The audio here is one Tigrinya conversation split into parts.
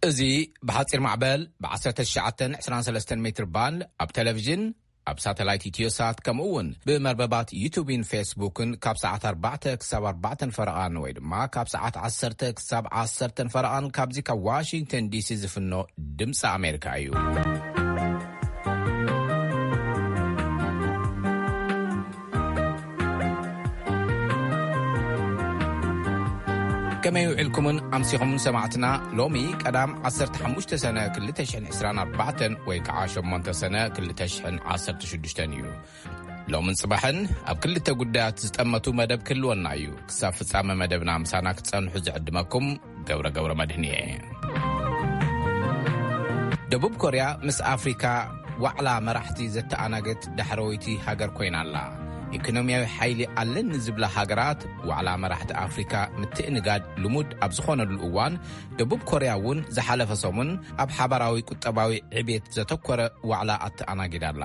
እዚ ብሓጺር ማዕበል ብ1923 ሜትር ባንድ ኣብ ቴሌቪዥን፣ ኣብ ሳተላይት ኢትዮሳት፣ ከምኡ እውን ብመርበባት ዩቱብን ፌስቡክን ካብ ሰዓት ኣርባዕተ ክሳብ ኣርባዕተን ፈረቓን ወይ ድማ ካብ ሰዓት ዓሰርተ ክሳብ ዓሰርተን ፈረቓን ካብዚ ካብ ዋሽንግተን ዲሲ ዝፍኖ ድምፂ ኣሜሪካ እዩ። ከመይ ውዒልኩምን ኣምሲኹምን ሰማዕትና? ሎሚ ቀዳም ዓሰርተ ሓሙሽተ ሰነ ክልተ ሽሕን ዕስራን ኣርባዕተን ወይ ከዓ ሸሞንተ ሰነ ክልተ ሽሕን ዓሰርተ ሽዱሽተን እዩ። ሎምን ጽባሕን ኣብ ክልተ ጉዳያት ዝጠመቱ መደብ ክህልወና እዩ። ክሳብ ፍጻመ መደብና ምሳና ክትጸንሑ ዝዕድመኩም ገብረ ገብረ መድህን እየ። ደቡብ ኮርያ ምስ ኣፍሪካ ዋዕላ መራሕቲ ዘተኣናገት ዳሕረወይቲ ሃገር ኮይና ኣላ። ኢኮኖሚያዊ ሓይሊ ኣለኒ ዝብላ ሃገራት ዋዕላ መራሕቲ ኣፍሪካ ምትእንጋድ ልሙድ ኣብ ዝኾነሉ እዋን፣ ደቡብ ኮርያ እውን ዝሓለፈ ሰሙን ኣብ ሓባራዊ ቁጠባዊ ዕቤት ዘተኮረ ዋዕላ ኣተኣናጊዳ ኣላ።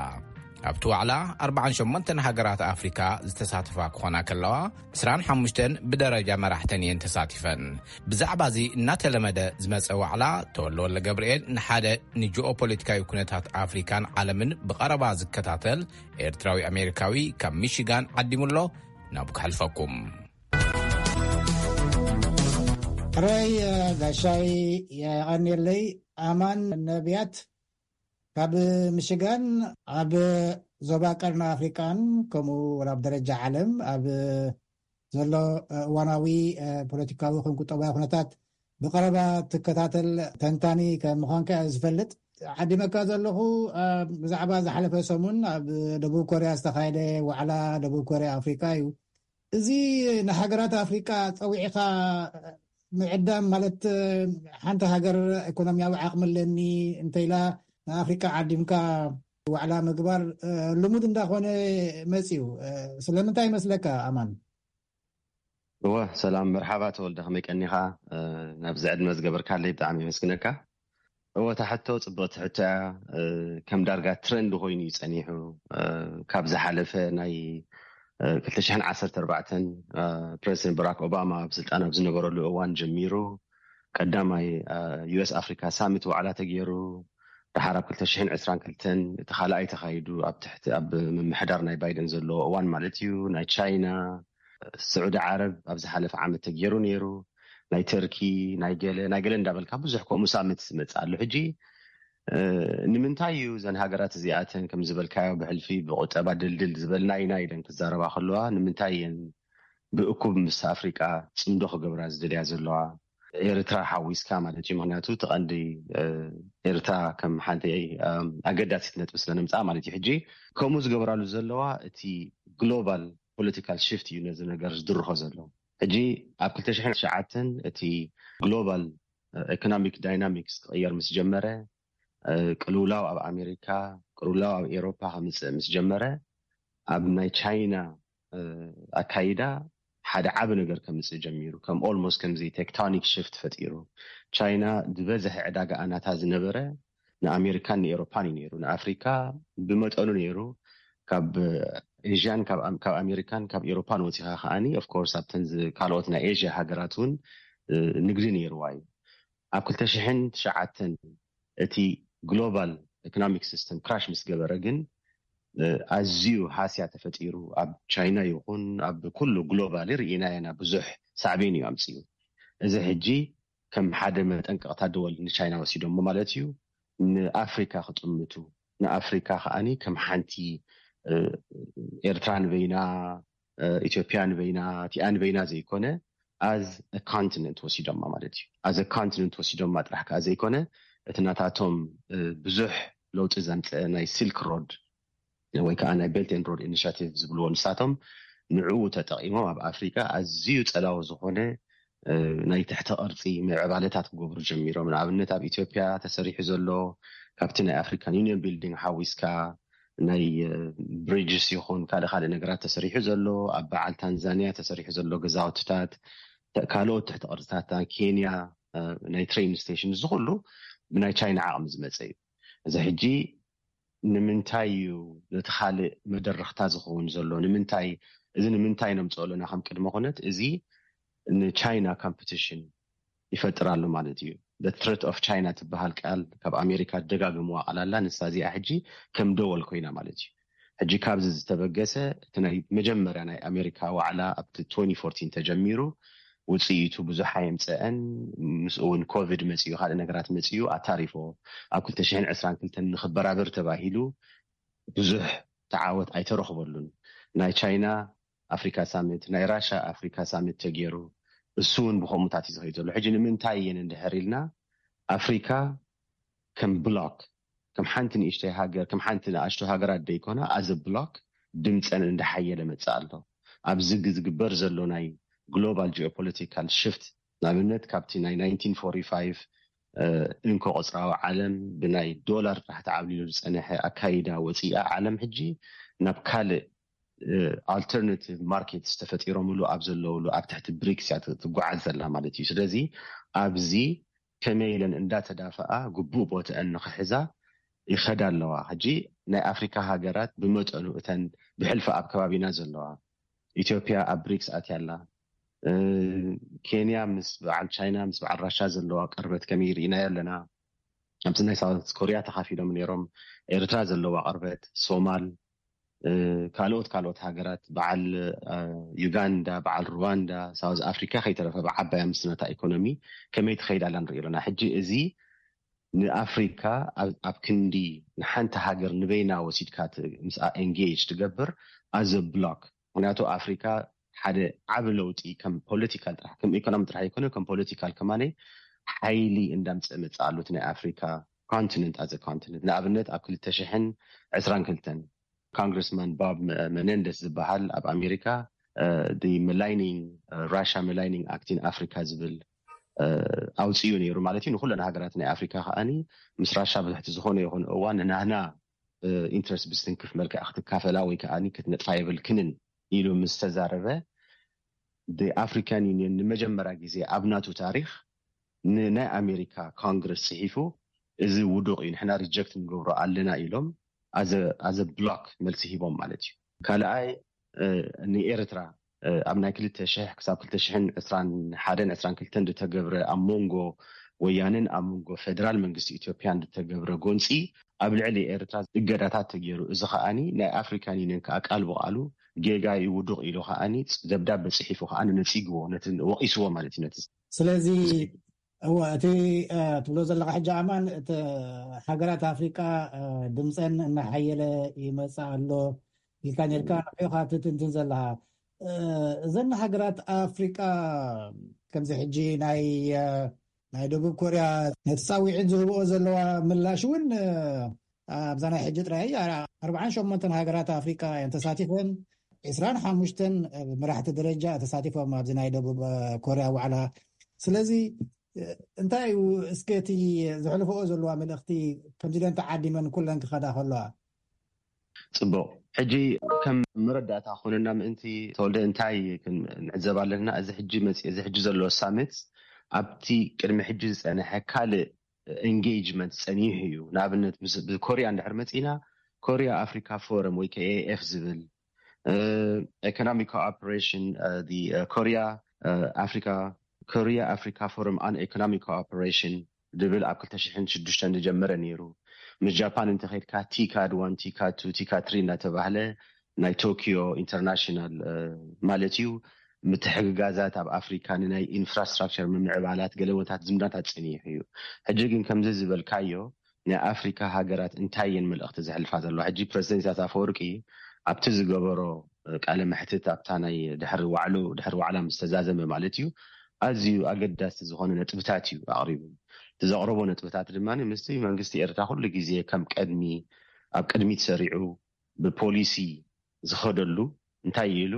ኣብቲ ዋዕላ ኣርባዓን ሸሞንተን ሃገራት ኣፍሪካ ዝተሳተፋ ክኾና ከለዋ፣ ዕስራን ሓሙሽተን ብደረጃ መራሕተን እየን ተሳቲፈን። ብዛዕባ እዚ እናተለመደ ዝመጸ ዋዕላ፣ ተወልደ ወልደ ገብርኤል ንሓደ ንጂኦፖለቲካዊ ኩነታት ኣፍሪካን ዓለምን ብቐረባ ዝከታተል ኤርትራዊ ኣሜሪካዊ ካብ ሚሽጋን ዓዲሙሎ። ናብ ክሕልፈኩም። ሕራይ ጋሻይ፣ የቐንየለይ። ኣማን ነብያት ካብ ምሽጋን፣ ኣብ ዞባ ቀርኒ ኣፍሪቃን ከምኡ እውን ኣብ ደረጃ ዓለም ኣብ ዘሎ እዋናዊ ፖለቲካዊ ይኹን ቁጠባዊ ኩነታት ብቐረባ ትከታተል ተንታኒ ከም ምዃንካ እየ ዝፈልጥ። ዓዲመካ ዘለኹ፣ ብዛዕባ ዝሓለፈ ሰሙን ኣብ ደቡብ ኮርያ ዝተኻየደ ዋዕላ ደቡብ ኮርያ ኣፍሪቃ እዩ። እዚ ንሃገራት ኣፍሪቃ ጸዊዕኻ ምዕዳም ማለት፣ ሓንቲ ሃገር ኢኮኖሚያዊ ዓቕሚ ኣለኒ እንተኢላ ንኣፍሪቃ ዓዲምካ ዋዕላ ምግባር ልሙድ እንዳኾነ መጽዩ። ስለምንታይ ይመስለካ ኣማን? እወ፣ ሰላም፣ መርሓባ ተወልደ፣ ከመይ ቀኒኻ? ናብዚ ዕድመ ዝገበርካለይ ብጣዕሚ የመስግነካ። እወ፣ እታ ሕቶ ጽብቕቲ ሕቶ እያ። ከም ዳርጋ ትረንድ ኮይኑ እዩ ጸኒሑ። ካብ ዝሓለፈ ናይ ክልተ ሽሕን ዓሰርተ ኣርባዕተን ፕረዚደንት ባራክ ኦባማ ኣብ ስልጣን ኣብ ዝነበረሉ እዋን ጀሚሩ፣ ቀዳማይ ዩኤስ ኣፍሪካ ሳሚት ዋዕላ ተገይሩ፣ ድሓር ኣብ ክልተ ሽሕን ዕስራን ክልተን እቲ ካልኣይ ተኻይዱ፣ ኣብ ትሕቲ፣ ኣብ ምምሕዳር ናይ ባይደን ዘለዎ እዋን ማለት እዩ። ናይ ቻይና፣ ስዑዲ ዓረብ ኣብ ዝሓለፈ ዓመት ተገይሩ ነይሩ። ናይ ተርኪ፣ ናይ ገለ፣ ናይ ገለ እንዳበልካ ብዙሕ ከምኡ ሳምንት ዝመጽእ ኣሎ። ሕጂ፣ እ፣ ንምንታይ እዩ እዘን ሃገራት እዚኣተን ከም ዝበልካዮ ብሕልፊ ብቁጠባ ድልድል ዝበል ናይ ናይ ኢለን ክዛረባ ከለዋ፣ ንምንታይ እየን ብእኩብ ምስ ኣፍሪቃ ጽምዶ ክገብራ ዝደልያ ዘለዋ? ኤርትራ ሓዊስካ ማለት እዩ። ምኽንያቱ እቲ ቀንዲ፣ እ፣ ኤርትራ ከም ሓንቲ፣ እ፣ ኣገዳሲት ነጥቢ ስለ ነምጽኣ ማለት እዩ። ሕጂ ከምኡ ዝገብራሉ ዘለዋ እቲ ግሎባል ፖለቲካል ሽፍት እዩ ነዚ ነገር ዝድርኾ ዘሎ። ሕጂ ኣብ ክልተ ሽሕን ትሽዓተን እቲ ግሎባል ኢኮኖሚክ ዳይናሚክስ ክቕየር ምስ ጀመረ፣ እ፣ ቅልውላው ኣብ ኣሜሪካ፣ ቅልውላው ኣብ ኤሮፓ ከምጽእ ምስ ጀመረ፣ ኣብ ናይ ቻይና፣ እ፣ ኣካይዳ ሓደ ዓቢ ነገር ከምጽእ ጀሚሩ። ከም ኦልሞስት ከምዚ ቴክቶኒክ ሽፍት ፈጢሩ። ቻይና ዝበዝሐ ዕዳጋ ኣናታ ዝነበረ ንኣሜሪካን ንኤሮፓን እዩ ነይሩ። ንኣፍሪካ ብመጠኑ ነይሩ። ካብ ኤዥያን ካብ ኣም-፣ ካብ ኣሜሪካን ካብ ኤሮፓን ወፂኻ ከዓኒ፣ ኦፍ ኮርስ፣ ኣብተን ዝ-፣ ካልኦት ናይ ኤዥያ ሃገራት እውን፣ እ፣ ንግዲ ነይርዋ እዩ። ኣብ ክልተ ሽሕን ትሽዓተን እቲ ግሎባል ኢኮኖሚክ ሲስተም ክራሽ ምስ ገበረ ግን፣ እ፣ ኣዝዩ ሃስያ ተፈጢሩ። ኣብ ቻይና ይኹን ኣብ ኩሉ ግሎባሊ ርኢናዮ ኢና፣ ብዙሕ ሳዕቤን እዩ ኣምፅኡ። እዚ ሕጂ ከም ሓደ መጠንቀቕታ ደወል ንቻይና ወሲዶሞ ማለት እዩ። ንኣፍሪካ ክጥምቱ፣ ንኣፍሪካ ከዓኒ ከም ሓንቲ፣ እ፣ ኤርትራ ንበይና፣ እ፣ ኢትዮጵያ ንበይና፣ እቲኣ ንበይና ዘይኮነ፣ ኣዝ ኮንቲነንት ወሲዶማ ማለት እዩ። ኣዝ ኮንቲነንት ወሲዶማ ጥራሕ ከዓ ዘይኮነ፣ እቲ ናታቶም፣ እ፣ ብዙሕ ለውጢ ዘምፀ ናይ ሲልክ ሮድ ወይ ከዓ ናይ ቤልት ኤንድ ሮድ ኢኒሽቲቭ ዝብልዎ ንሳቶም፣ ንዕኡ ተጠቒሞም ኣብ ኣፍሪካ ኣዝዩ ጸላዊ ዝኾነ፣ እ፣ ናይ ትሕቲ ቅርጺ ምዕባለታት ክገብሩ ጀሚሮም። ንኣብነት ኣብ ኢትዮጵያ ተሰሪሑ ዘሎ፣ ካብቲ ናይ ኣፍሪካን ዩኒየን ቢልዲንግ ሓዊስካ፣ ናይ፣ እ፣ ብሪጅስ ይኹን ካልእ ካልእ ነገራት ተሰሪሑ ዘሎ፣ ኣብ በዓል ታንዛንያ ተሰሪሑ ዘሎ ገዛውትታት፣ ተ-፣ ካልኦት ትሕቲ ቅርጽታት ኬንያ፣ እ፣ ናይ ትሬን ስቴሽን፣ እዚ ኩሉ ብናይ ቻይና ዓቕሚ ዝመጸ እዩ። እዚ ሕጂ ንምንታይ እዩ ነቲ ካልእ መደረኽታ ዝኸውን ዘሎ? ንምንታይ፣ እዚ ንምንታይ ነምፅኦ ኣለና ከም ቅድመ ኩነት? እዚ ንቻይና ኮምፒቲሽን ይፈጥር ኣሎ ማለት እዩ። the threat of China ትበሃል ቃል ካብ ኣሜሪካ ደጋግምዋ ቃል ኣላ። ንሳ እዚኣ ሕጂ ከም ደወል ኮይና ማለት እዩ። ሕጂ ካብዚ ዝተበገሰ እቲ ናይ መጀመርያ ናይ ኣሜሪካ ዋዕላ ኣብቲ twenty fourteen ተጀሚሩ፣ ውፅኢቱ ብዙሕ ኣየምፀአን። ምስኡ እውን ኮቪድ መፅኡ፣ ካልእ ነገራት መፅኡ ኣታሪፎ። ኣብ ክልተ ሽሕን ዕስራን ክልተን ንክበራበር ተባሂሉ ብዙሕ ተዓወት ኣይተረኽበሉን። ናይ ቻይና ኣፍሪካ ሳሚት፣ ናይ ራሻ ኣፍሪካ ሳሚት ተገይሩ፣ እሱ እውን ብከምኡታት እዩ ዝኸይድ ዘሎ። ሕጂ ንምንታይ እየን እንድሕር ኢልና፣ ኣፍሪካ ከም ብሎክ፣ ከም ሓንቲ ንእሽተይ ሃገር፣ ከም ሓንቲ ንኣሽቱ ሃገራት ደይኮና፣ ኣዘ ብሎክ ድምፀን እንዳሓየለ መፅእ ኣሎ። ኣብዚ ግ- ዝግበር ዘሎ ናይ ግሎባል ጂኦፖለቲካል ሽፍት፣ ንኣብነት ካብቲ ናይ nineteen forty five እንኮ ቆፅራዊ ዓለም ብናይ ዶላር ጥራሕ ተዓብሊሉ ዝፀነሐ ኣካይዳ ወፂኣ፣ ዓለም ሕጂ ናብ ካልእ ኣልተርናቲቭ ማርኬትስ ተፈጢሮምሉ ኣብ ዘለውሉ ኣብ ትሕቲ ብሪክስ እያ ትጓዓዝ ዘላ ማለት እዩ። ስለዚ ኣብዚ ከመይ ኢለን እንዳተዳፈኣ ግቡእ ቦትአን ንኽሕዛ ይኸዳ ኣለዋ። ሕጂ ናይ ኣፍሪካ ሃገራት ብመጠኑ እተን ብሕልፊ ኣብ ከባቢና ዘለዋ፣ ኢትዮጵያ ኣብ ብሪክስ ኣትያ ኣላ። እ፣ ኬንያ ምስ በዓል ቻይና ምስ በዓል ራሻ ዘለዋ ቅርበት ከመይ ርኢናዮ ኣለና። ኣብዚ ናይ ሳውት ኮሪያ ተኻፊሎም ነይሮም። ኤርትራ ዘለዋ ቅርበት፣ ሶማል፣ እ፣ ካልኦት ካልኦት ሃገራት፣ በዓል እ፣ ዩጋንዳ፣ በዓል ሩዋንዳ፣ ሳውዝ ኣፍሪካ ከይተረፈ ብዓባያ ምስ ነታ ኢኮኖሚ ከመይ ትኸይድ ኣላ ንርኢ ኣለና። ሕጂ እዚ ንኣፍሪካ ኣብ ኣብ ክንዲ ንሓንቲ ሃገር ንበይና ወሲድካ ት- ምስኣ ኤንጌጅ ትገብር ኣዘ ብሎክ። ምክንያቱ ኣፍሪካ ሓደ ዓቢ ለውጢ ከም ፖለቲካል ጥራሕ፣ ከም ኢኮኖሚ ጥራሕ ኣይኮነ፣ ከም ፖለቲካል ከማነ ሓይሊ እንዳምፀ መፅእ ኣሎ። እቲ ናይ ኣፍሪካ ኮንቲነንት ኣዘ ኮንቲነንት፣ ንኣብነት ኣብ ክልተ ሽሕን ዕስራን ክልተን ኮንግረስማን ቦብ መ- መነንደስ ዝበሃል ኣብ ኣሜሪካ፣ እ፣ the Millennium- እ፣ Russia Millennium Act in Africa ዝብል እ፣ ኣውፅኡ ነይሩ ማለት እዩ። ንኩለን ሃገራት ናይ ኣፍሪካ ከኣኒ ምስ ራሻ ብትሕቲ ዝኾነ ይኹን እዋን ንናህና ኢንትረስት ብስትንክፍ መልክዕ ክትካፈላ ወይ ከኣኒ ክትነጥፋ የብልክንን ኢሉ ምስ ተዛረበ፣ ኣፍሪካን ዩኒየን ንመጀመርያ ግዜ ኣብ ናቱ ታሪክ ንናይ ኣሜሪካ ኮንግረስ ፅሒፉ፣ እዚ ውዱቕ እዩ፣ ንሕና ሪጀክት ንገብሮ ኣለና ኢሎም ኣዘ ብሎክ መልሲ ሂቦም ማለት እዩ። ካልኣይ፣ እ፣ ንኤርትራ እ፣ ኣብ ናይ ክልተ ሽሕ ክሳብ ክልተ ሽሕን ዕስራን ሓደን ዕስራን ክልተን ዝተገብረ ኣብ መንጎ ወያነን ኣብ መንጎ ፌደራል መንግስቲ ኢትዮጵያን ዝተገብረ ጎንፂ ኣብ ልዕሊ ኤርትራ እገዳታት ተገይሩ። እዚ ከኣኒ ናይ ኣፍሪካን ዩኒየን ከዓ ቃል ብቃሉ ጌጋ እዩ፣ ውዱቕ ኢሉ ከኣኒ ደብዳበ ፅሒፉ ከዓ ነፂግዎ፣ ነቲ ወቂስዎ ማለት እዩ። ነቲ ስለዚ እወ፣ እቲ እ፣ ትብሎ ዘለካ ሕጂ ኣማን፣ እቲ ሃገራት ኣፍሪቃ እ፣ ድምፀን እናሓየለ ይመፅእ ኣሎ ኢልካ ነርካ ንሕዮ ካብ ትትንትን ዘለካ። እ፣ እዘን ሃገራት ኣፍሪቃ ከምዚ ሕጂ ናይ እ፣ ናይ ደቡብ ኮርያ ነቲ ፃዊዒት ዝህብኦ ዘለዋ ምላሽ እውን እ፣ ኣብዛ ናይ ሕጂ ጥራይ ኣርባዓን ሸሞንተን ሃገራት ኣፍሪቃ እየን ተሳቲፈን። ዕስራን ሓሙሽተን መራሕቲ ደረጃ ተሳቲፎም ኣብዚ ናይ ደቡብ እ፣ ኮርያ ዋዕላ። ስለዚ እ፣ እንታይ እዩ እስከ እቲ ዘሕልፈኦ ዘለዋ መልእኽቲ፣ ከምዚ ደን ተዓዲመን ኩለን ክኸዳ ከለዋ? ፅቡቅ። ሕጂ ከም መረዳእታ ኮነና ምእንቲ ተወልደ እንታይ ክንዕዘብ ኣለና? እዚ ሕጂ መፂ እዚ ሕጂ ዘሎ ሳሚት ኣብቲ ቅድሚ ሕጂ ዝፀነሐ ካልእ ኤንጌጅመንት ፀኒሑ እዩ። ንኣብነት ምስ- ብኮርያ እንድሕር መፂና፣ ኮርያ ኣፍሪካ ፎረም ወይ ከኤኤፍ ዝብል፣ ኢኮኖሚክ ኮኦፐሬሽን፣ ኮርያ ኣፍሪካ፣ ኮርያ ኣፍሪካ ፎረም ኣን ኢኮኖሚክ ኮኦፐሬሽን ዝብል ኣብ ክልተ ሽሕን ሽዱሽተን ዝጀመረ ነይሩ። ምስ ጃፓን እንተኸድካ ቲካድ ዋን፣ ቲካድ ቱ፣ ቲካድ ትሪ እናተባህለ ናይ ቶኪዮ ኢንተርናሽናል ማለት እዩ፣ ምትሕግጋዛት ኣብ ኣፍሪካ ንናይ ኢንፍራስትራክቸር ምምዕባላት ገለወታት ዝምዳታት ፀኒሑ እዩ። ሕጂ ግን ከምዚ ዝበልካዮ ናይ ኣፍሪካ ሃገራት እንታይ እየን መልእኽቲ ዘሕልፋ ዘለዋ? ሕጂ ፕረዚደንት ኢሳያስ ኣፈወርቂ ኣብቲ ዝገበሮ ቃለ መሕትት፣ ኣብታ ናይ ድሕሪ ዋዕሉ ድሕሪ ዋዕላ ምስ ተዛዘመ ማለት እዩ፣ ኣዝዩ ኣገዳስቲ ዝኾነ ነጥብታት እዩ ኣቕሪቡ። እቲ ዘቕረቦ ነጥብታት ድማ ምስቲ መንግስቲ ኤርትራ ኩሉ ግዜ ከም ቀድሚ ኣብ ቅድሚት ሰሪዑ ብፖሊሲ ዝኸደሉ እንታይ ኢሉ፣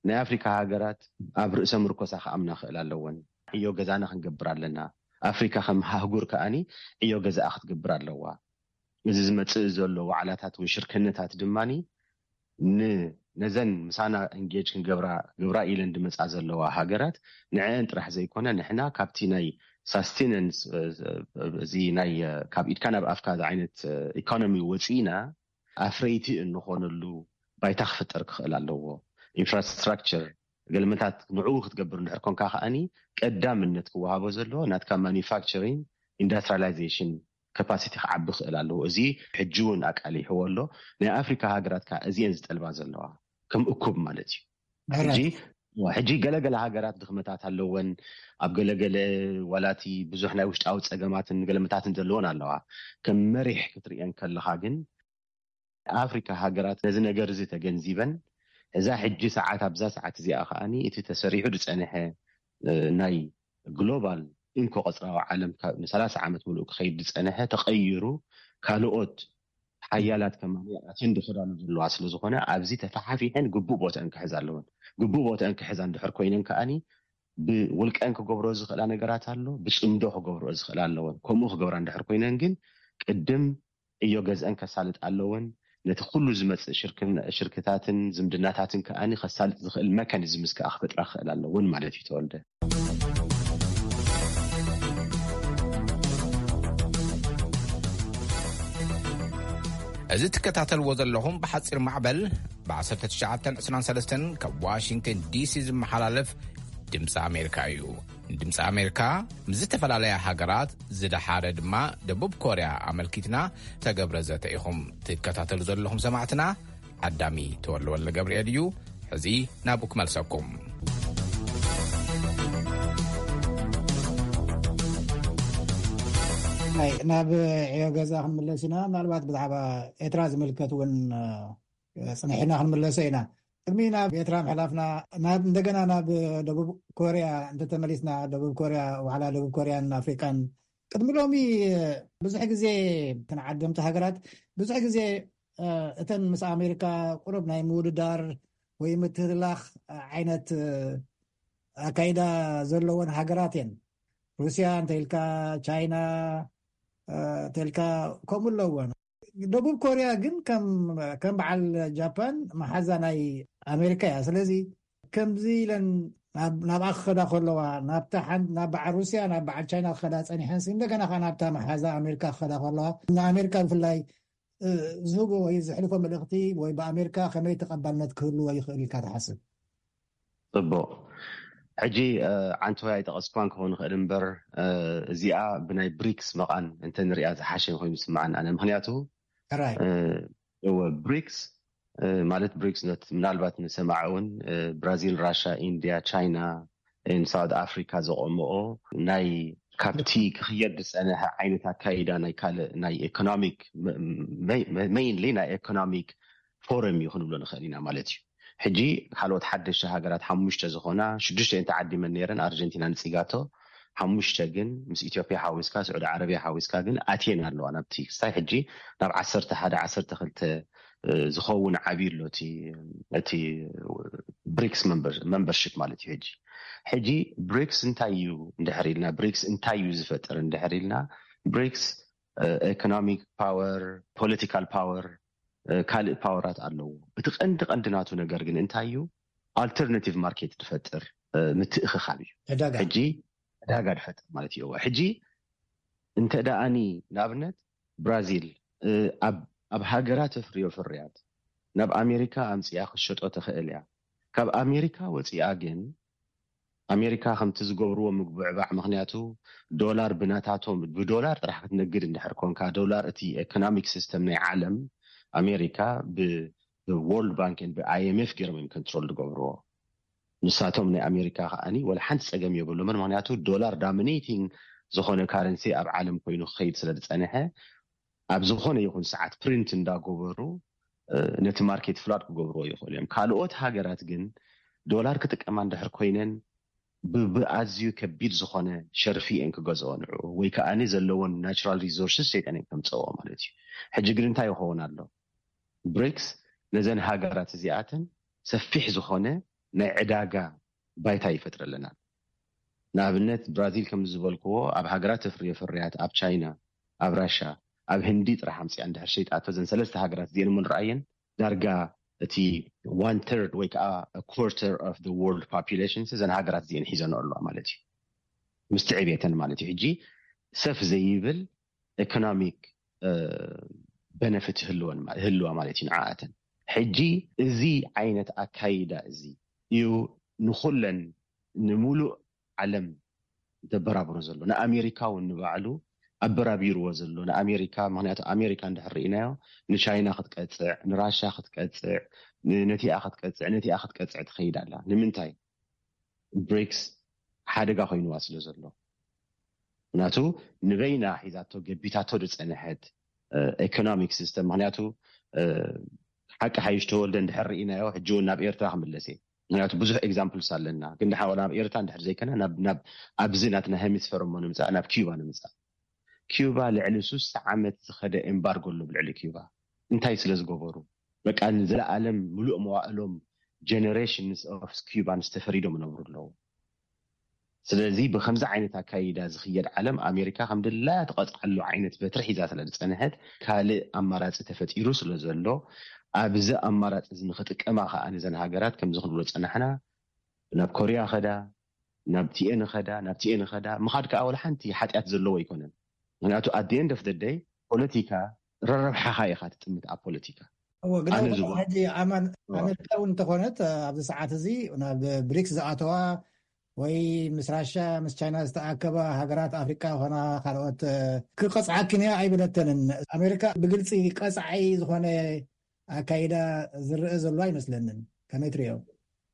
ናይ ኣፍሪካ ሃገራት ኣብ ርእሰ ምርኮሳ ክኣምና ክእል ኣለወን። ዕዮ ገዛና ክንገብር ኣለና። ኣፍሪካ ከም ሃህጉር ከኣኒ ዕዮ ገዛኣ ክትገብር ኣለዋ። እዚ ዝመፅእ ዘሎ ዋዕላታት ወይ ሽርክነታት ድማ ነዘን ምሳና እንጌጅ ክንገብራ ግብራ ኢለን ዝመፃ ዘለዋ ሃገራት ንዐን ጥራሕ ዘይኮነ ንሕና ካብቲ ናይ ሳስቴነንስ እዚ ናይ ካብ ኢድካ ናብ ኣፍካ ዓይነት ኢኮኖሚ ወፂእና ኣፍረይቲ እንኾነሉ ባይታ ክፍጠር ክኽእል ኣለዎ። ኢንፍራስትራክቸር ገልመታት ንዕኡ ክትገብር እንድሕር ኮንካ ከኣኒ ቀዳምነት ክወሃቦ ዘለዎ ናትካ ማኒፋክቸሪንግ ኢንዱስትሪላይዜሽን ካፓሲቲ ክዓቢ ክእል ኣለዎ። እዚ ሕጂ እውን ኣቃሊሕዎ ኣሎ። ናይ ኣፍሪካ ሃገራት ከዓ እዚአን ዝጠልባ ዘለዋ ከም እኩብ ማለት እዩ። ሕጂ ሕጂ ገለገለ ሃገራት ድኽመታት ኣለወን። ኣብ ገለገለ ዋላቲ ብዙሕ ናይ ውሽጣዊ ፀገማትን ገለመታትን ዘለወን ኣለዋ። ከም መሪሕ ክትርእየን ከለኻ ግን ኣፍሪካ ሃገራት ነዚ ነገር እዚ ተገንዚበን እዛ ሕጂ ሰዓት ኣብዛ ሰዓት እዚኣ ከዓኒ እቲ ተሰሪሑ ዝፀንሐ ናይ ግሎባል እንኮ ቀፅራዊ ዓለም ንሰላሳ ዓመት ምሉእ ክኸይድ ዝፀንሐ ተቐይሩ ካልኦት ሓያላት ከማን ኣትየን ዝኸዳሉ ዘለዋ ስለዝኾነ ኣብዚ ተፈሓፊሐን ግቡእ ቦተአን ክሕዛ ኣለወን። ግቡእ ቦተአን ክሕዛ እንድሕር ኮይነን ከዓኒ ብውልቀን ክገብሮ ዝኽእላ ነገራት ኣሎ፣ ብፅምዶ ክገብሮ ዝኽእላ ኣለወን። ከምኡ ክገብራ እንድሕር ኮይነን ግን ቅድም ዕዮ ገዝአን ከሳልጥ ኣለወን። ነቲ ኩሉ ዝመፅእ ሽርክታትን ዝምድናታትን ከዓኒ ከሳልጥ ዝኽእል መካኒዝምስ ከዓ ክፈጥራ ክኽእል ኣለወን ማለት እዩ። ተወልደ እዚ ትከታተልዎ ዘለኹም ብሓፂር ማዕበል ብ1923 ካብ ዋሽንግተን ዲሲ ዝመሓላለፍ ድምፂ ኣሜሪካ እዩ። ድምፂ ኣሜሪካ ምስ ዝተፈላለያ ሃገራት ዝደሓረ ድማ ደቡብ ኮርያ ኣመልኪትና ተገብረ ዘተ ኢኹም ትከታተሉ ዘለኹም ሰማዕትና። ዓዳሚ ተወልወለ ገብርኤል እዩ። ሕዚ ናብኡ ክመልሰኩም። ናይ ናብ ዕዮ ገዛ ክንምለስ ኢና። ምናልባት ብዛዕባ ኤርትራ ዝምልከት እውን ጽንሒና ክንምለሶ ኢና። ቅድሚ ናብ ኤርትራ ምሕላፍና ናብ እንደገና ናብ ደቡብ ኮርያ እንተተመሊስና፣ ደቡብ ኮርያ ዋዕላ ደቡብ ኮርያን ኣፍሪቃን ቅድሚ ሎሚ ብዙሕ ግዜ ተን ዓደምቲ ሃገራት ብዙሕ ግዜ እተን ምስ ኣሜሪካ ቁሩብ ናይ ምውድዳር ወይ ምትህልላኽ ዓይነት ኣካይዳ ዘለወን ሃገራት እየን። ሩስያ እንተኢልካ፣ ቻይና እንተኢልካ ከምኡ ኣለወን። ደቡብ ኮርያ ግን ከም በዓል ጃፓን መሓዛ ናይ ኣሜሪካ እያ። ስለዚ ከምዚ ኢለን ናብኣ ክኸዳ ከለዋ ናብ በዓል ሩስያ ናብ በዓል ቻይና ክኸዳ ፀኒሐን እንደገና ከዓ ናብታ መሓዛ ኣሜሪካ ክኸዳ ከለዋ ንኣሜሪካ ብፍላይ ዝህቦ ወይ ዘሕልፎ መልእኽቲ ወይ ብኣሜሪካ ከመይ ተቐባልነት ክህልዎ ይኽእል ኢልካ ትሓስብ? ፅቡቅ። ሕጂ ዓንተወይ ኣይጠቐስኳን ክኸውን ይኽእል እምበር እዚኣ ብናይ ብሪክስ መቓን እንተንሪኣ ዝሓሸ ኮይኑ ዝስምዓኒ ኣነ። ምክንያቱ እወ ብሪክስ ማለት ብሪክስ ነት ምናልባት ንሰማዕ እውን ብራዚል፣ ራሻ፣ ኢንድያ፣ ቻይና፣ ሳውት ኣፍሪካ ዘቆምኦ ናይ ካብቲ ክኽየድ ዝፀነሐ ዓይነት ኣካይዳ ናይ ካልእ ናይ ኤኮኖሚክ ሜይንሊ ናይ ኤኮኖሚክ ፎረም እዩ ክንብሎ ንኽእል ኢና ማለት እዩ። ሕጂ ካልኦት ሓደሽቲ ሃገራት ሓሙሽተ ዝኾና ሽዱሽተ እየን ተዓዲመን ነይረን ኣርጀንቲና ንፂጋቶ ሓሙሽተ ግን ምስ ኢትዮጵያ ሓዊስካ ስዑዲ ዓረብያ ሓዊስካ ግን ኣትየን ኣለዋ ናብቲ ክስታይ ሕጂ ናብ ዓሰርተ ሓደ ዓሰርተ ክልተ ዝኸውን ዓብዩ ኣሎ እቲ ብሪክስ መምበርሽፕ ማለት እዩ። ሕጂ ሕጂ ብሪክስ እንታይ እዩ እንድሕር ኢልና ብሪክስ እንታይ እዩ ዝፈጥር እንድሕር ኢልና ብሪክስ ኤኮኖሚክ ፓወር ፖለቲካል ፓወር ካልእ ፓወራት ኣለዎ። እቲ ቀንዲ ቀንዲ ናቱ ነገር ግን እንታይ እዩ? ኣልተርናቲቭ ማርኬት ዝፈጥር ምትእኽኻብ እዩ። ሕጂ ዕዳጋ ዝፈጥር ማለት እዩ። ሕጂ እንተ ደኣኒ ንኣብነት ብራዚል ኣብ ሃገራ ተፍርዮ ፍርያት ናብ ኣሜሪካ ኣምፅኣ ክትሸጦ ትኽእል እያ። ካብ ኣሜሪካ ወፂኣ ግን ኣሜሪካ ከምቲ ዝገብርዎ ምጉብዕባዕ ምክንያቱ ዶላር ብናታቶም ብዶላር ጥራሕ ክትነግድ እንድሕር ኮንካ ዶላር እቲ ኤኮኖሚክ ሲስተም ናይ ዓለም ኣሜሪካ ብወርልድ ባንክ ብኣይኤምኤፍ ገይሮም እዮም ኮንትሮል ዝገብርዎ። ንሳቶም ናይ ኣሜሪካ ከዓኒ ወላ ሓንቲ ፀገም የብሎምን ምክንያቱ ዶላር ዳሚኔቲንግ ዝኾነ ካረንሲ ኣብ ዓለም ኮይኑ ክኸይድ ስለ ዝፀንሐ ኣብ ዝኾነ ይኹን ሰዓት ፕሪንት እንዳገበሩ ነቲ ማርኬት ፍላድ ክገብርዎ ይኽእሉ እዮም። ካልኦት ሃገራት ግን ዶላር ክጥቀማ እንድሕር ኮይነን ብኣዝዩ ከቢድ ዝኾነ ሸርፊ እየን ክገዝኦ ንዕኡ ወይ ከዓ ዘለዎን ናቹራል ሪሶርስስ ሰይጠን እየን ከምፀዎ ማለት እዩ። ሕጂ ግን እንታይ ይኸውን ኣሎ? ብሪክስ ነዘን ሃገራት እዚኣተን ሰፊሕ ዝኾነ ናይ ዕዳጋ ባይታ ይፈጥረለና። ንኣብነት ብራዚል ከም ዝበልክዎ ኣብ ሃገራት ተፍርዮ ፍርያት ኣብ ቻይና፣ ኣብ ራሻ፣ ኣብ ህንዲ ጥራሕ ኣምፅኣ እንድሕር ሸይጣቶ ዘን ሰለስተ ሃገራት እዚአን እሞ ንረኣየን ዳርጋ እቲ one third ወይ ከዓ quarter of the world population ዘን ሃገራት እዚአን ሒዘን ኣለዋ ማለት እዩ። ምስቲ ዕቤተን ማለት እዩ። ሕጂ ሰፍ ዘይብል ኤኮኖሚክ በነፊት ህልዋ ማለት እዩ ንዓኣተን። ሕጂ እዚ ዓይነት ኣካይዳ እዚ እዩ ንኹለን፣ ንሙሉእ ዓለም ዘበራብሮ ዘሎ፣ ንኣሜሪካ እውን ንባዕሉ ኣበራቢርዎ ዘሎ፣ ንኣሜሪካ፣ ምክንያቱ ኣሜሪካ እንድሕር ርኢናዮ፣ ንቻይና ክትቀፅዕ፣ ንራሻ ክትቀፅዕ፣ ን- ነቲኣ ክትቀፅዕ፣ ነቲኣ ክትቀፅዕ ትኸይድ ኣላ። ንምንታይ? ብሪክስ ሓደጋ ኮይንዋ ስለ ዘሎ። ምክንያቱ ንበይና ሒዛቶ፣ ገቢታቶ ዝፀንሐት ኤኮኖሚክ ሲስተም። ምክንያቱ ሓቂ ሓይሽ ተወልደ እንድሕር ርኢናዮ፣ ሕጂ እውን ናብ ኤርትራ ክምለስ እየ። ምክንያቱ ብዙሕ ኤግዛምፕልስ ኣለና፣ ግን ድሓ ናብ ኤርትራ እንድሕር ዘይከና፣ ናብ ኣብዚ ናትና ሄሚስፈር እሞ ንምፃእ፣ ናብ ኪዩባ ንምፃእ። ኪዩባ ልዕሊ ሱሳ ዓመት ዝኸደ ኤምባርጎ ኣሎ ብልዕሊ ኪዩባ። እንታይ ስለ ዝገበሩ? በቃ ንዘለኣለም ምሉእ መዋእሎም ጀነሬሽንስ ኦፍ ኪዩባንስ ተፈሪዶም ይነብሩ ኣለዉ። ስለዚ ብከምዚ ዓይነት ኣካይዳ ዝኽየድ ዓለም፣ ኣሜሪካ ከም ድላያ ትቐፅዓሉ ዓይነት በትሪ ሒዛ ስለ ዝፀንሐት፣ ካልእ ኣማራፂ ተፈጢሩ ስለ ዘሎ፣ ኣብዚ ኣማራፂ እዚ ንክጥቀማ ከዓ ነዘን ሃገራት ከምዚ ክንብሎ ዝፀናሕና፣ ናብ ኮርያ ኸዳ፣ ናብ ቲኤን ኸዳ፣ ናብ ቲኤን ኸዳ። ምኻድ ከዓ ወላ ሓንቲ ሓጢኣት ዘለዎ ኣይኮነን። ምክንያቱ ኣት ኤንድ ኦፍ ደይ፣ ፖለቲካ ረረብሓኻ ኢኻ ትጥምት ኣብ ፖለቲካ። እዎ፣ ግን ሕጂ ኣማን፣ ኣሜሪካ እውን እንተኾነት ኣብዚ ሰዓት እዚ ናብ ብሪክስ ዝኣተዋ ወይ ምስ ራሻ ምስ ቻይና ዝተኣከባ ሃገራት ኣፍሪካ ኾና ካልኦት ክቐፅዓክን እያ ኣይበለተንን። ኣሜሪካ ብግልፂ ቀፃዒ ዝኾነ ኣካይዳ ዝረአ ዘሎ ኣይመስለንን። ከመይ ትሪኦ?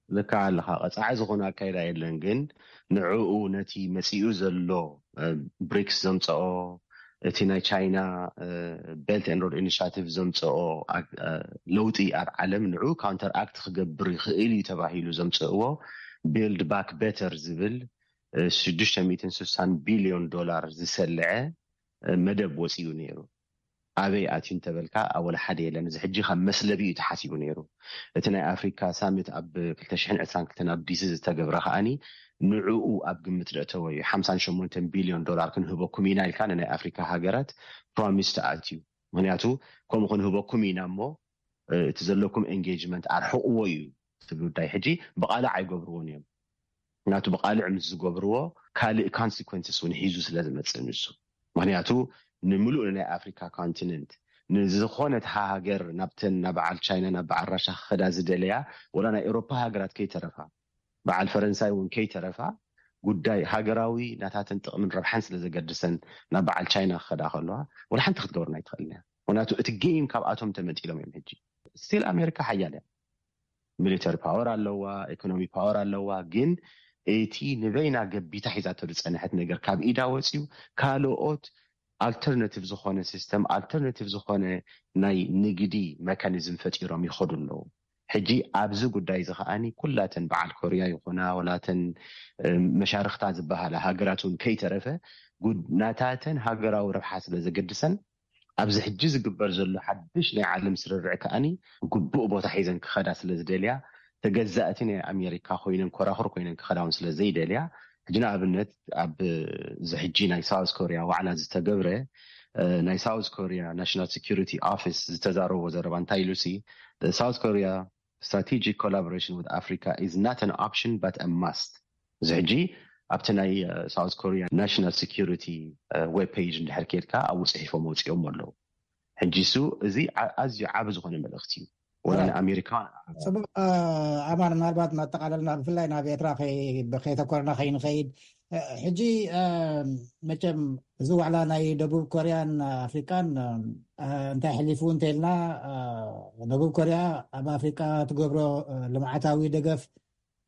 ልካ ኣለኻ፣ ቀፃዒ ዝኾነ ኣካይዳ የለን። ግን ንዕኡ፣ ነቲ መፂኡ ዘሎ ብሪክስ ዘምፀኦ፣ እቲ ናይ ቻይና ቤልት ኤንድ ሮድ ኢኒሽቲቭ ዘምፀኦ ለውጢ ኣብ ዓለም ንዑ ካውንተር ኣክት ክገብር ይኽእል እዩ ተባሂሉ ዘምፅእዎ ቢልድ ባክ ቤተር ዝብል ሽዱሽተ ሚእትን ስሳን ቢልዮን ዶላር ዝሰልዐ መደብ ወፂኡ ነይሩ። ኣበይ ኣትዩ እንተበልካ፣ ኣወል ሓደ የለን። እዚ ሕጂ ካብ መስለቢ እዩ ተሓሲቡ ነይሩ። እቲ ናይ ኣፍሪካ ሳሚት ኣብ ክልተ ሽሕን ዕስራን ክልተን ኣብ ዲሲ ዝተገብረ ከዓኒ ንዕኡ ኣብ ግምት ደእተወ እዩ። ሓምሳን ሸሞንተን ቢልዮን ዶላር ክንህበኩም ኢና ኢልካ ንናይ ኣፍሪካ ሃገራት ፕሮሚስ ተኣትዩ። ምክንያቱ ከምኡ ክንህበኩም ኢና እሞ እቲ ዘለኩም ኤንጌጅመንት ኣርሕቕዎ እዩ። እቲ ጉዳይ ሕጂ ብቃልዕ ኣይገብርዎን እዮም። ምክንያቱ ብቃልዕ ምስ ዝገብርዎ ካልእ ኮንሲኮንስስ እውን ሒዙ ስለ ዝመፅእ ንሱ። ምክንያቱ ንምሉእ ናይ ኣፍሪካ ኮንቲነንት፣ ንዝኮነት ሃገር፣ ናብተን ናብ በዓል ቻይና፣ ናብ በዓል ራሻ ክኸዳ ዝደለያ፣ ወላ ናይ ኤሮፓ ሃገራት ከይተረፋ፣ በዓል ፈረንሳይ እውን ከይተረፋ፣ ጉዳይ ሃገራዊ ናታተን ጥቕምን ረብሓን ስለ ዘገድሰን ናብ በዓል ቻይና ክኸዳ ከለዋ፣ ወላ ሓንቲ ክትገብርና ኣይትኽእልን እያ። ምክንያቱ እቲ ጌም ካብኣቶም ተመንጢሎም እዮም። ሕጂ ስቲል ኣሜሪካ ሓያል እያ፣ ሚሊተሪ ፓወር ኣለዋ፣ ኢኮኖሚ ፓወር ኣለዋ። ግን እቲ ንበይና ገቢታ ሒዛቶ ዝፀንሐት ነገር ካብ ኢዳ ወፂኡ፣ ካልኦት ኣልተርናቲቭ ዝኾነ ሲስተም፣ ኣልተርናቲቭ ዝኾነ ናይ ንግዲ መካኒዝም ፈጢሮም ይኸዱ ኣለዉ። ሕጂ ኣብዚ ጉዳይ እዚ ከዓኒ ኩላተን በዓል ኮርያ ይኹና፣ ወላተን መሻርክታ ዝበሃላ ሃገራት እውን ከይተረፈ፣ ናታተን ሃገራዊ ረብሓ ስለ ዘገድሰን፣ ኣብዚ ሕጂ ዝግበር ዘሎ ሓድሽ ናይ ዓለም ስርርዕ ከዓኒ ግቡእ ቦታ ሒዘን ክኸዳ ስለ ዝደልያ፣ ተገዛእቲ ናይ ኣሜሪካ ኮይነን፣ ኮራኹር ኮይነን ክኸዳ እውን ስለ ዘይደልያ፣ ሕጂ ንኣብነት ኣብዚ ሕጂ ናይ ሳውዝ ኮርያ ዋዕላ ዝተገብረ፣ ናይ ሳውዝ ኮርያ ናሽናል ሴኩሪቲ ኦፊስ ዝተዛረቦ ዘረባ እንታይ ኢሉ ሲ፣ ሳውዝ ኮርያ strategic collaboration with Africa is not an option but a must። እዚ ሕጂ ኣብቲ ናይ ሳውዝ ኮርያ ናሽናል ሴኩሪቲ ዌብ ፔጅ እንድሕር ኬድካ ኣብኡ ፅሒፎም ወፂኦም ኣለዉ። ሕጂ እሱ እዚ ኣዝዩ ዓቢ ዝኾነ መልእኽቲ እዩ። ወላ ንኣሜሪካ። ፅቡቅ። ኣማን፣ ምናልባት እናጠቃለልና፣ ብፍላይ ናብ ኤርትራ ከይተኮርና ከይንኸይድ፣ ሕጂ መቸም እዚ ዋዕላ ናይ ደቡብ ኮርያን ኣፍሪቃን እንታይ ሕሊፉ እንተልና፣ ደቡብ ኮርያ ኣብ ኣፍሪቃ ትገብሮ ልምዓታዊ ደገፍ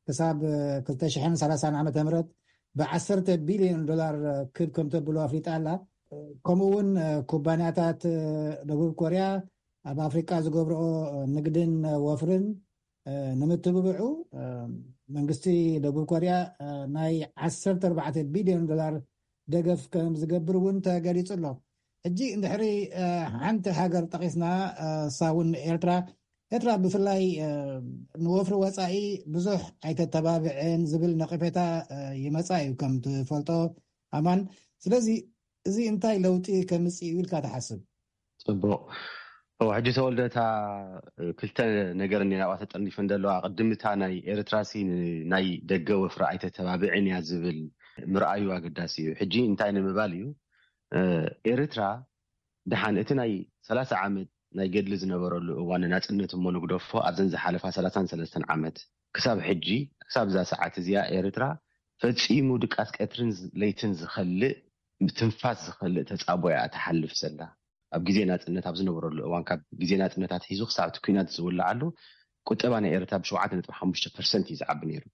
ክሳብ ክልተ ሽሕን ሰላሳን ዓመተ ምህረት ብዓሰርተ ቢልዮን ዶላር ክብ ከም ተብሎ ኣፍሊጣ ኣላ። ከምኡ እውን ኩባንያታት ደቡብ ኮርያ ኣብ ኣፍሪቃ ዝገብርኦ ንግድን ወፍርን ንምትብብዑ መንግስቲ ደቡብ ኮርያ ናይ ዓሰርተ ኣርባዕተ ቢልዮን ዶላር ደገፍ ከም ዝገብር እውን ተገሊፁ ኣሎ። ሕጂ እንድሕሪ ሓንቲ ሃገር ጠቂስና፣ ሳውን ኤርትራ፣ ኤርትራ ብፍላይ ንወፍሪ ወፃኢ ብዙሕ ኣይተተባብዕን ዝብል ነቂፌታ ይመፃ እዩ ከም ትፈልጦ ኣማን። ስለዚ እዚ እንታይ ለውጢ ከምፅእ እዩ ኢልካ ትሓስብ? ፅቡቅ። ሕጂ ተወልደታ ክልተ ነገር እኒ ናብኣ ተጠርኒፈን ዘለዋ። ቅድምታ ናይ ኤርትራ ሲ ናይ ደገ ወፍሪ ኣይተተባብዕን እያ ዝብል ምርኣዩ ኣገዳሲ እዩ። ሕጂ እንታይ ንምባል እዩ፣ ኤርትራ ደሓን እቲ ናይ ሰላሳ ዓመት ናይ ገድሊ ዝነበረሉ እዋን ናፅነት እሞ ንግደፎ፣ ኣብዘን ዝሓለፋ ሰላሳን ሰለስተን ዓመት ክሳብ ሕጂ ክሳብ እዛ ሰዓት እዚኣ ኤርትራ ፈጺሙ ድቃስ ቀትርን ለይትን ዝኸልእ፣ ትንፋስ ዝኸልእ ተጻቦ እያ ትሓልፍ ዘላ። ኣብ ግዜ ናጽነት ኣብ ዝነበረሉ እዋን፣ ካብ ግዜ ናጽነታት ሒዙ ክሳብ እቲ ኲናት ዝውልዓሉ፣ ቁጠባ ናይ ኤርትራ ብ7.5% እዩ ዝዓቢ ነይሩ።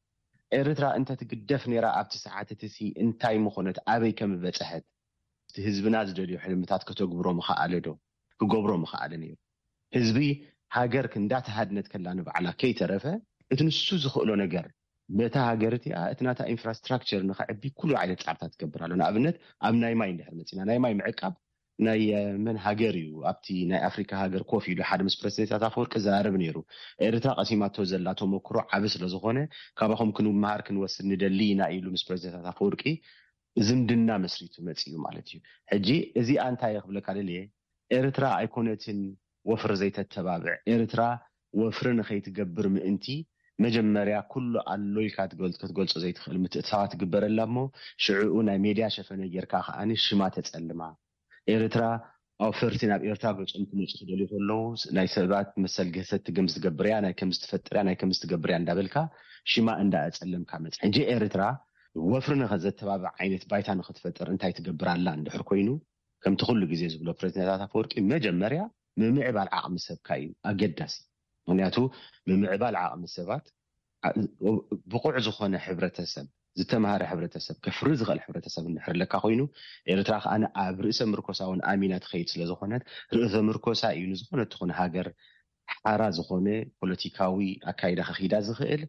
ኤርትራ እንተ ትግደፍ ነይራ ኣብቲ ሰዓት እቲ ሲ እንታይ ምኾነት፣ ኣበይ ከም በጽሐት፣ እቲ ህዝብና ዝደልዮ ሕልምታት ከተግብሮ ምኸኣለ ዶ? ክገብሮ ምኸኣለ ነይሩ። ህዝቢ፣ ሃገር እንዳተሃድነት ከላ ንባዕላ ከይተረፈ፣ እቲ ንሱ ዝኽእሎ ነገር፣ በታ ሃገር እቲኣ እቲ ናታ ኢንፍራስትራክቸር ንኸዕቢ ኩሉ ዓይነት ጻዕርታት ትገብር ኣሎ። ንኣብነት ኣብ ናይ ማይ እንድሕር መጺና፣ ናይ ማይ ምዕቃብ ናይ መን ሃገር እዩ ኣብቲ ናይ ኣፍሪካ ሃገር ኮፍ ኢሉ ሓደ ምስ ፕረዚደንት ኣፈወርቂ ዘራርብ ነይሩ። ኤርትራ ቀሲማቶ ዘላ ተመክሮ ዓቢ ስለዝኾነ፣ ካባኹም ክንመሃር ክንወስድ ንደሊ ኢና ኢሉ ምስ ፕረዚደንት ኣፈወርቂ ዝምድና መስሪቱ መጺኡ ማለት እዩ። ሕጂ እዚኣ እንታይ ክብለካ ደልየ፣ ኤርትራ ኣይኮነትን ወፍሪ ዘይተተባብዕ። ኤርትራ ወፍሪ ንኸይትገብር ምእንቲ መጀመርያ ኩሉ ኣሎ ኢልካ ክትገልጾ ዘይትኽእል ምትእትታዋት ትግበረላ እሞ፣ ሽዕኡ ናይ ሜድያ ሸፈነ ጌርካ ከኣ ሽማ ተጸልማ። ኤርትራ ኣውፈርቲ ናብ ኤርትራ ገጾም ክመጹ ክደልዩ ከለዉ፣ ናይ ሰባት መሰል ገሰቲ ከም ዝገብርያ፣ ናይ ከም ዝትፈጥርያ፣ ናይ ከም ዝትገብርያ እንዳበልካ ሽማ እንዳኣጸለምካ መጽ ሕጂ ኤርትራ ወፍሪ ንኸዘተባብዕ ዓይነት ባይታ ንኽትፈጥር እንታይ ትገብር ኣላ እንድሕር ኮይኑ፣ ከምቲ ኩሉ ግዜ ዝብሎ ፕረዚደንት ኣፈወርቂ፣ መጀመርያ ምምዕባል ዓቕሚ ሰብካ እዩ ኣገዳሲ። ምኽንያቱ ምምዕባል ዓቕሚ ሰባት፣ ብቑዕ ዝኾነ ሕብረተሰብ፣ ዝተምሃረ ሕብረተሰብ፣ ከፍሪ ዝኽእል ሕብረተሰብ እንድሕር ኣለካ ኮይኑ፣ ኤርትራ ከኣ ኣብ ርእሰ ምርኮሳ እውን ኣሚና ትኸይድ ስለ ዝኾነት፣ ርእሰ ምርኮሳ እዩ ንዝኾነ ትኹን ሃገር ሓራ ዝኾነ ፖለቲካዊ ኣካይዳ ከኺዳ ዝኽእል፣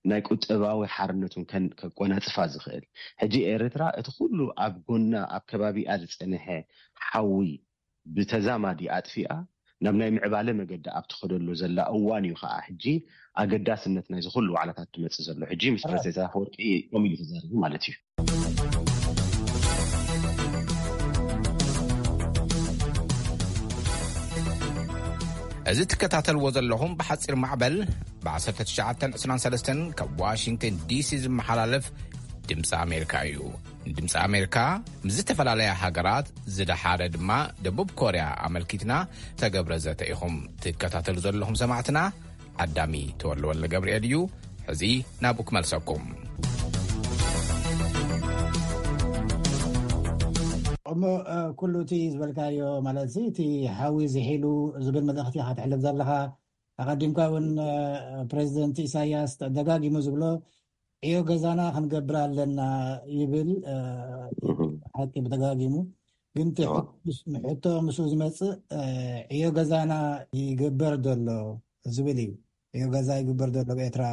ናይ ቁጠባዊ ሓርነቱን ከን- ከቆናጽፋ ዝኽእል። ሕጂ ኤርትራ እቲ ኩሉ ኣብ ጎና ኣብ ከባቢኣ ዝጸንሐ ሓዊ ብተዛማዲ ኣጥፊኣ ናብ ናይ ምዕባለ መገዲ ኣብ ትኸደሉ ዘላ እዋን እዩ ከኣ ሕጂ ኣገዳስነት ናይዚ ኩሉ ዋዕላታት ትመጽእ ዘሎ። ሕጂ ምስ ፕረዚደንት ኣፈወርቂ ከምኡ ኢሉ ተዛሪቡ ማለት እዩ። እዚ ትከታተልዎ ዘለኹም ብሓፂር ማዕበል ብ1923 ካብ ዋሽንግተን ዲሲ ዝመሓላለፍ ድምፂ ኣሜሪካ እዩ። ድምፂ ኣሜሪካ ምስ ዝተፈላለያ ሃገራት፣ ዝደሓረ ድማ ደቡብ ኮርያ ኣመልኪትና ተገብረ ዘተ ኢኹም ትከታተሉ ዘለኹም ሰማዕትና። ዓዳሚ ተወልወለ ገብርኤል እዩ። ሕዚ ናብኡ ክመልሰኩም። እሞ ኩሉ እቲ ዝበልካዮ ማለት እቲ ሓዊ ዝሒሉ ዝብል መልእኽቲ ኢኻ ትሕልፍ ዘለኻ። ኣቐዲምካ እውን ፕሬዚደንት ኢሳያስ ደጋጊሙ ዝብሎ ዕዮ ገዛና ክንገብር ኣለና ይብል። ሓቂ ብተጋጊሙ ግን ሕቶ ምስኡ ዝመፅእ ዕዮ ገዛና ይግበር ዘሎ ዝብል እዩ። ዕዮ ገዛ ይግበር ዘሎ ብኤርትራ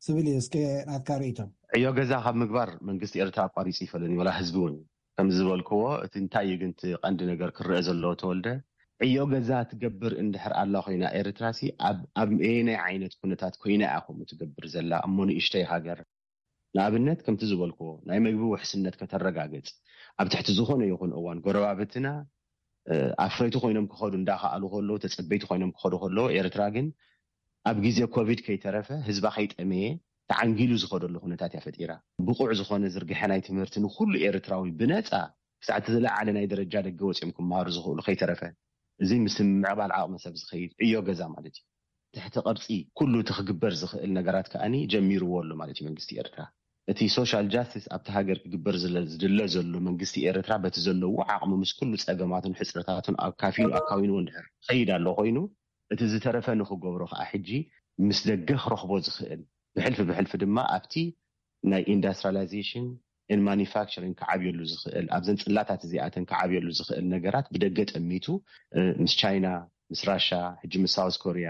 ዝብል እዩ። እስከ ናትካ ርእይቶ። ዕዮ ገዛ ካብ ምግባር መንግስቲ ኤርትራ ኣቋሪፁ ይፈለኒ ወላ ህዝቢ እውን። ከምዚ ዝበልክዎ እቲ እንታይ እዩ ግን እቲ ቀንዲ ነገር ክረአ ዘለዎ ተወልደ፣ ዕዮ ገዛ ትገብር እንድሕር ኣላ ኮይና ኤርትራ ሲ ኣብ ኣየናይ ዓይነት ኩነታት ኮይና እያ ከምኡ ትገብር ዘላ እሞ ንእሽተይ ሃገር? ንኣብነት ከምቲ ዝበልክዎ ናይ መግቢ ውሕስነት ከተረጋግፅ፣ ኣብ ትሕቲ ዝኾነ ይኹን እዋን ጎረባብትና ኣፍረይቲ ኮይኖም ክኸዱ እንዳኸኣሉ ከለዉ፣ ተፀበይቲ ኮይኖም ክኸዱ ከለዉ፣ ኤርትራ ግን ኣብ ግዜ ኮቪድ ከይተረፈ ህዝባ ከይጠመየ ተዓንጊሉ ዝኸደሉ ኩነታት እያ ፈጢራ። ብቑዕ ዝኾነ ዝርግሐ ናይ ትምህርቲ ንኩሉ ኤርትራዊ ብነፃ ክሳዕ እቲ ዝለዓለ ናይ ደረጃ ደገ ወፂኦም ክመሃሩ ዝኽእሉ ከይተረፈ፣ እዚ ምስ ምዕባል ዓቕሚ ሰብ ዝኸይድ ዕዮ ገዛ ማለት እዩ። ትሕቲ ቅርፂ ኩሉ እቲ ክግበር ዝኽእል ነገራት ከኣኒ ጀሚርዎ ኣሎ ማለት እዩ መንግስቲ ኤርትራ። እቲ ሶሻል ጃስቲስ ኣብቲ ሃገር ክግበር ዝለ- ዝድለ ዘሎ መንግስቲ ኤርትራ በቲ ዘለዎ ዓቕሚ ምስ ኩሉ ፀገማቱን ሕፅረታቱን ኣካፊሉ ኣካዊንዎ እንድሕር ኸይድ ኣሎ ኮይኑ፣ እቲ ዝተረፈ ንኽገብሮ ከዓ ሕጂ ምስ ደገ ክረኽቦ ዝኽእል ብሕልፊ ብሕልፊ ድማ ኣብቲ ናይ ኢንዳስትሪላይዜሽን ን ማኒፋክቸሪንግ ክዓብየሉ ዝኽእል ኣብዘን ፅላታት እዚኣተን ክዓብየሉ ዝኽእል ነገራት ብደገ ጠሚቱ ምስ ቻይና፣ ምስ ራሻ፣ ሕጂ ምስ ሳውዝ ኮሪያ፣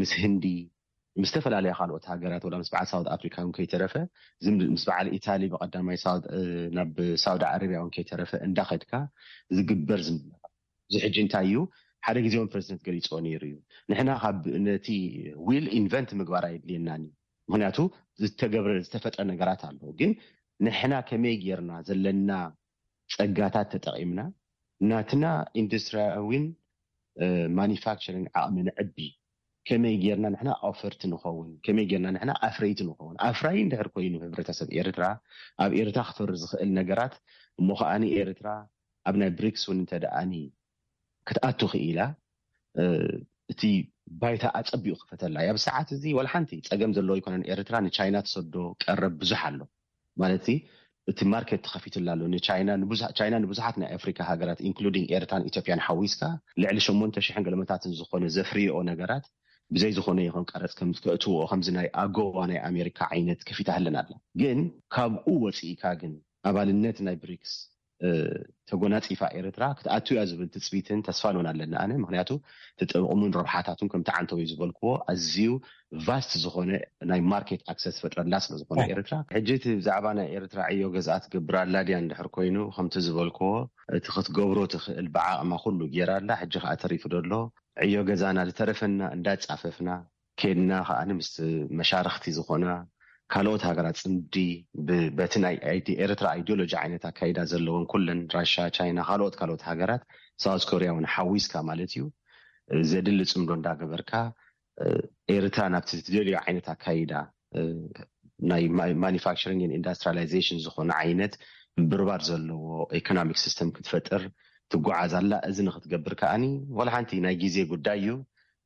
ምስ ህንዲ፣ ምስ ዝተፈላለያ ካልኦት ሃገራት ወላ ምስ በዓል ሳውት ኣፍሪካ እውን ከይተረፈ፣ ምስ በዓል ኢታሊ ብቀዳማይ ናብ ሳውዲ ዓረብያ እውን ከይተረፈ እንዳኸድካ ዝግበር ዝምድና እዚ ሕጂ እንታይ እዩ? ሓደ ግዜ እውን ፕረዚደንት ገሊፅዎ ነይሩ እዩ። ንሕና ካብ ነቲ ዊል ኢንቨንት ምግባር ኣየድልየናን እዩ። ምክንያቱ ዝተገብረ ዝተፈጥረ ነገራት ኣሎ። ግን ንሕና ከመይ ጌርና ዘለና ፀጋታት ተጠቒምና ናትና ኢንዱስትሪያዊን ማኒፋክቸሪንግ ዓቕሚ ንዕቢ፣ ከመይ ጌርና ንሕና ኣውፈርቲ ንኸውን፣ ከመይ ጌርና ንሕና ኣፍረይቲ ንኸውን። ኣፍራይ እንድሕር ኮይኑ ህብረተሰብ ኤርትራ ኣብ ኤርትራ ክፈሪ ዝኽእል ነገራት እሞ ከዓኒ ኤርትራ ኣብ ናይ ብሪክስ እውን እንተ ደኣኒ ክትኣቱ ክኢላ እቲ ባይታ ኣጸቢቑ ክፈተላ እያ። ኣብ ሰዓት እዚ ዋላ ሓንቲ ጸገም ዘለዎ ኣይኮነን። ኤርትራ ንቻይና ትሰዶ ቀረብ ብዙሕ ኣሎ። ማለት እቲ ማርኬት ተኸፊትላ ኣሎ ንቻይና። ንብዙ- ቻይና ንብዙሓት ናይ ኣፍሪካ ሃገራት ኢንክሉዲንግ ኤርትራን ኢትዮጵያን ሓዊስካ ልዕሊ ሸሞንተ ሽሕን ገለመታትን ዝኾነ ዘፍርዮ ነገራት ብዘይ ዝኾነ ይኹን ቀረፅ ከም ከእትዎ ከምዚ ናይ ኣጎዋ ናይ ኣሜሪካ ዓይነት ከፊታ ኣለና ኣላ። ግን ካብኡ ወፂእካ ግን ኣባልነት ናይ ብሪክስ ተጎናፂፋ ኤርትራ ክትኣቱ እያ ዝብል ትፅቢትን ተስፋን እውን ኣለና ኣነ። ምክንያቱ ተጠቕሙን ረብሓታቱን ከምቲ ዓንተው ዝበልክዎ ኣዝዩ ቫስት ዝኾነ ናይ ማርኬት ኣክሰስ ፈጥረላ ስለ ዝኾነ ኤርትራ። ሕጂ እቲ ብዛዕባ ናይ ኤርትራ ዕዮ ገዝኣ ትገብር ኣላ ድያ እንድሕር ኮይኑ ከምቲ ዝበልክዎ እቲ ክትገብሮ ትኽእል ብዓቕማ ኩሉ ገይራ ኣላ። ሕጂ ከዓ ተሪፉ ደሎ ዕዮ ገዛና ዝተረፈና እንዳጻፈፍና ከድና ከዓ ምስ መሻርክቲ ዝኾና ካልኦት ሃገራት ጽምዲ በቲ ናይ ኤርትራ ኣይዲዮሎጂ ዓይነት ኣካይዳ ዘለውን ኩለን ራሻ፣ ቻይና፣ ካልኦት ካልኦት ሃገራት ሳውት ኮርያ እውን ሓዊስካ ማለት እዩ ዘድሊ ጽምዶ እንዳገበርካ ኤርትራ ናብቲ ትደልዮ ዓይነት ኣካይዳ ናይ ማኒፋክቸሪንግ ኢንዱስትሪላይዜሽን ዝኾነ ዓይነት ብርባር ዘለዎ ኢኮኖሚክ ሲስተም ክትፈጥር ትጓዓዝ ኣላ። እዚ ንክትገብር ከዓኒ ዋላ ሓንቲ ናይ ግዜ ጉዳይ እዩ።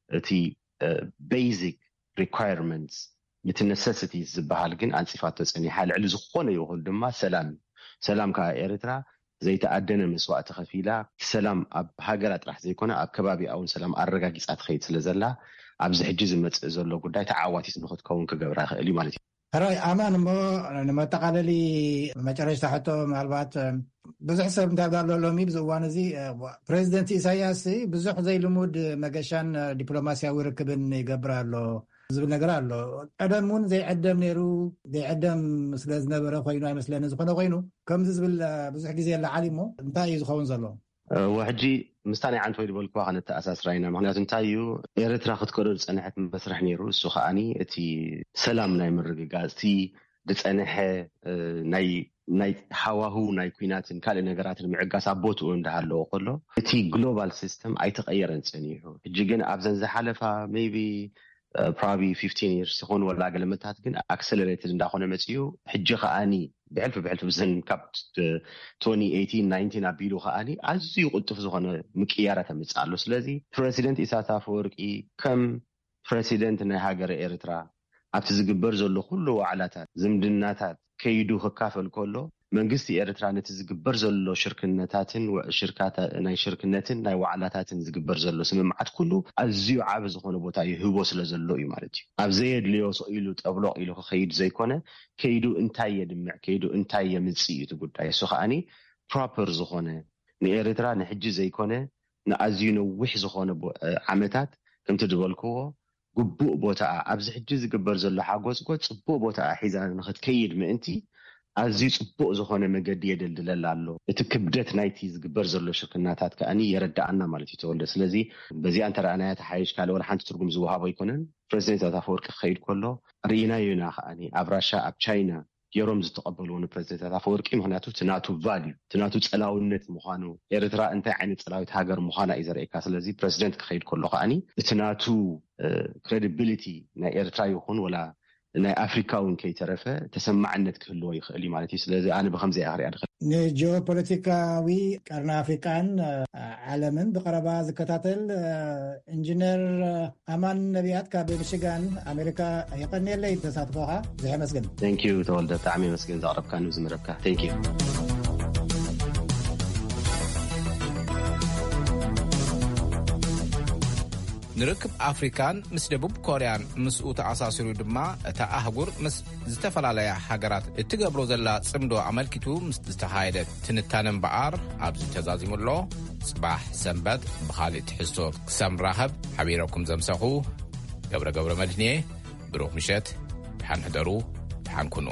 እቲ ቤዚክ ሪኳየርመንትስ እቲ ነሰሲቲ ዝበሃል ግን ኣንፂፋቶ ፀኒሓ። ልዕሊ ዝኾነ ይኹን ድማ ሰላም እዩ። ሰላም ከዓ ኤርትራ ዘይተኣደነ መስዋእቲ ከፊላ ሰላም ኣብ ሃገራ ጥራሕ ዘይኮነ ኣብ ከባቢ እውን ሰላም ኣረጋጊፃ ትኸይድ ስለ ዘላ ኣብዚ ሕጂ ዝመፅእ ዘሎ ጉዳይ ተዓዋቲት ንክትከውን ክገብራ ይኽእል እዩ ማለት እዩ። ሕራይ ኣማን፣ እሞ ንመጠቓለሊ መጨረሽታ ሕቶ ምናልባት ብዙሕ ሰብ እንታይ ኣሎ ሎሚ ብዚ እዋን እዚ ፕሬዚደንት ኢሳያስ ብዙሕ ዘይልሙድ መገሻን ዲፕሎማሲያዊ ርክብን ይገብር ኣሎ ዝብል ነገር ኣሎ። ቀደም እውን ዘይዕደም ነይሩ፣ ዘይዕደም ስለ ዝነበረ ኮይኑ ኣይመስለኒ። ዝኾነ ኮይኑ ከምዚ ዝብል ብዙሕ ግዜ ኣለዓሊ እሞ እንታይ እዩ ዝኸውን ዘሎ? እወ፣ ሕጂ ምስታ ናይ ዓንተወይ ዝበልክዋ ከነተኣሳስራ ኢና። ምክንያቱ እንታይ እዩ ኤርትራ ክትከዶ ዝፀንሐት መስርሕ ነይሩ። እሱ ከዓኒ እቲ ሰላም ናይ ምርግጋፅ እቲ ዝፀንሐ ናይ ናይ ሃዋህው ናይ ኩናትን ካልእ ነገራትን ምዕጋስ ኣብ ቦትኡ እንዳሃለዎ ከሎ እቲ ግሎባል ሲስተም ኣይተቐየረን ፀኒሑ። ሕጂ ግን ኣብዘን ዝሓለፋ ሜይቢ ፕሮባብሊ ፊፍቲን ይርስ ይኹን ወላ ገለመታት ግን ኣክሰለሬትድ እንዳኾነ መፅኡ። ሕጂ ከዓኒ ብሕልፊ ብሕልፊ ብዘን ካብ ትወንቲ ኤይቲን ናይንቲን ኣቢሉ ከዓኒ ኣዝዩ ቅልጡፍ ዝኾነ ምቅያራት ኣምፅእ ኣሎ። ስለዚ ፕረዚደንት ኢሳያስ ኣፈወርቂ ከም ፕረሲደንት ናይ ሃገረ ኤርትራ ኣብቲ ዝግበር ዘሎ ኩሉ ዋዕላታት ዝምድናታት ከይዱ ክካፈል ከሎ መንግስቲ ኤርትራ ነቲ ዝግበር ዘሎ ሽርክነታትን ሽርካታ ናይ ሽርክነትን ናይ ዋዕላታትን ዝግበር ዘሎ ስምምዓት ኩሉ ኣዝዩ ዓቢ ዝኾነ ቦታ ይህቦ ስለ ዘሎ እዩ ማለት እዩ። ኣብ ዘየድልዮ ስቕ ኢሉ ጠብሎቕ ኢሉ ክኸይድ ዘይኮነ ከይዱ እንታይ የድምዕ ከይዱ እንታይ የምጽእ እዩ እቲ ጉዳይ። እሱ ከዓኒ ፕሮፐር ዝኾነ ንኤርትራ ንሕጂ ዘይኮነ ንኣዝዩ ነዊሕ ዝኾነ ዓመታት ከምቲ ዝበልክዎ ግቡእ ቦታኣ ኣብዚ ሕጂ ዝግበር ዘሎ ሓጎስጎ ፅቡቅ ቦታኣ ሒዛ ንክትከይድ ምእንቲ ኣዝዩ ፅቡቅ ዝኾነ መገዲ የደልድለላ ኣሎ። እቲ ክብደት ናይቲ ዝግበር ዘሎ ሽርክናታት ከኣ የረዳኣና ማለት እዩ ተወልደ። ስለዚ በዚኣ እንተረኣናያ ተሓይሽ ካልእ ወላ ሓንቲ ትርጉም ዝወሃቦ ኣይኮነን። ፕረዚደንት ኣፈወርቂ ክኸይድ ከሎ ርኢናዮ ኢና ከኣ ኣብ ራሻ ኣብ ቻይና ገይሮም ዝተቐበልዎ ንፕረዚደንት ኣፈወርቂ። ምክንያቱ እቲ ናቱ ቫልዩ እቲ ናቱ ፀላውነት ምኳኑ ኤርትራ እንታይ ዓይነት ፀላዊት ሃገር ምኳና እዩ ዘርእካ። ስለዚ ፕረዚደንት ክኸይድ ከሎ ከኣ እቲ ናቱ ክሬዲቢሊቲ ናይ ኤርትራ ይኹን ወላ ናይ ኣፍሪካ እውን ከይተረፈ ተሰማዕነት ክህልዎ ይኽእል እዩ ማለት እዩ። ስለዚ ኣነ ብከምዚ እያ ክሪኣ ድኽእል። ንጂኦፖለቲካዊ ቀርኒ ኣፍሪቃን ዓለምን ብቀረባ ዝከታተል ኢንጂነር ኣማን ነቢያት ካብ ሚሽጋን ኣሜሪካ የቐንየለይ ተሳትፎኻ። ብዙሕ የመስግን። Thank you ተወልደ፣ ብጣዕሚ የመስግን ዘቕረብካኒ ዝምረብካ። Thank you። ንርክብ ኣፍሪካን ምስ ደቡብ ኮርያን ምስኡ ተኣሳሲሩ ድማ እታ ኣህጉር ምስ ዝተፈላለያ ሃገራት እትገብሮ ዘላ ጽምዶ ኣመልኪቱ ምስ ዝተኻየደ ትንታነ እምበኣር ኣብዚ ተዛዚሙ ኣሎ። ጽባሕ ሰንበት ብኻልእ ትሕዝቶ ክሳብ ንራኸብ ሓቢረኩም ዘምሰኹ ገብረ ገብረ መድህንየ። ብሩኽ ምሸት፣ ደሓን ሕደሩ፣ ደሓን ኩኑ።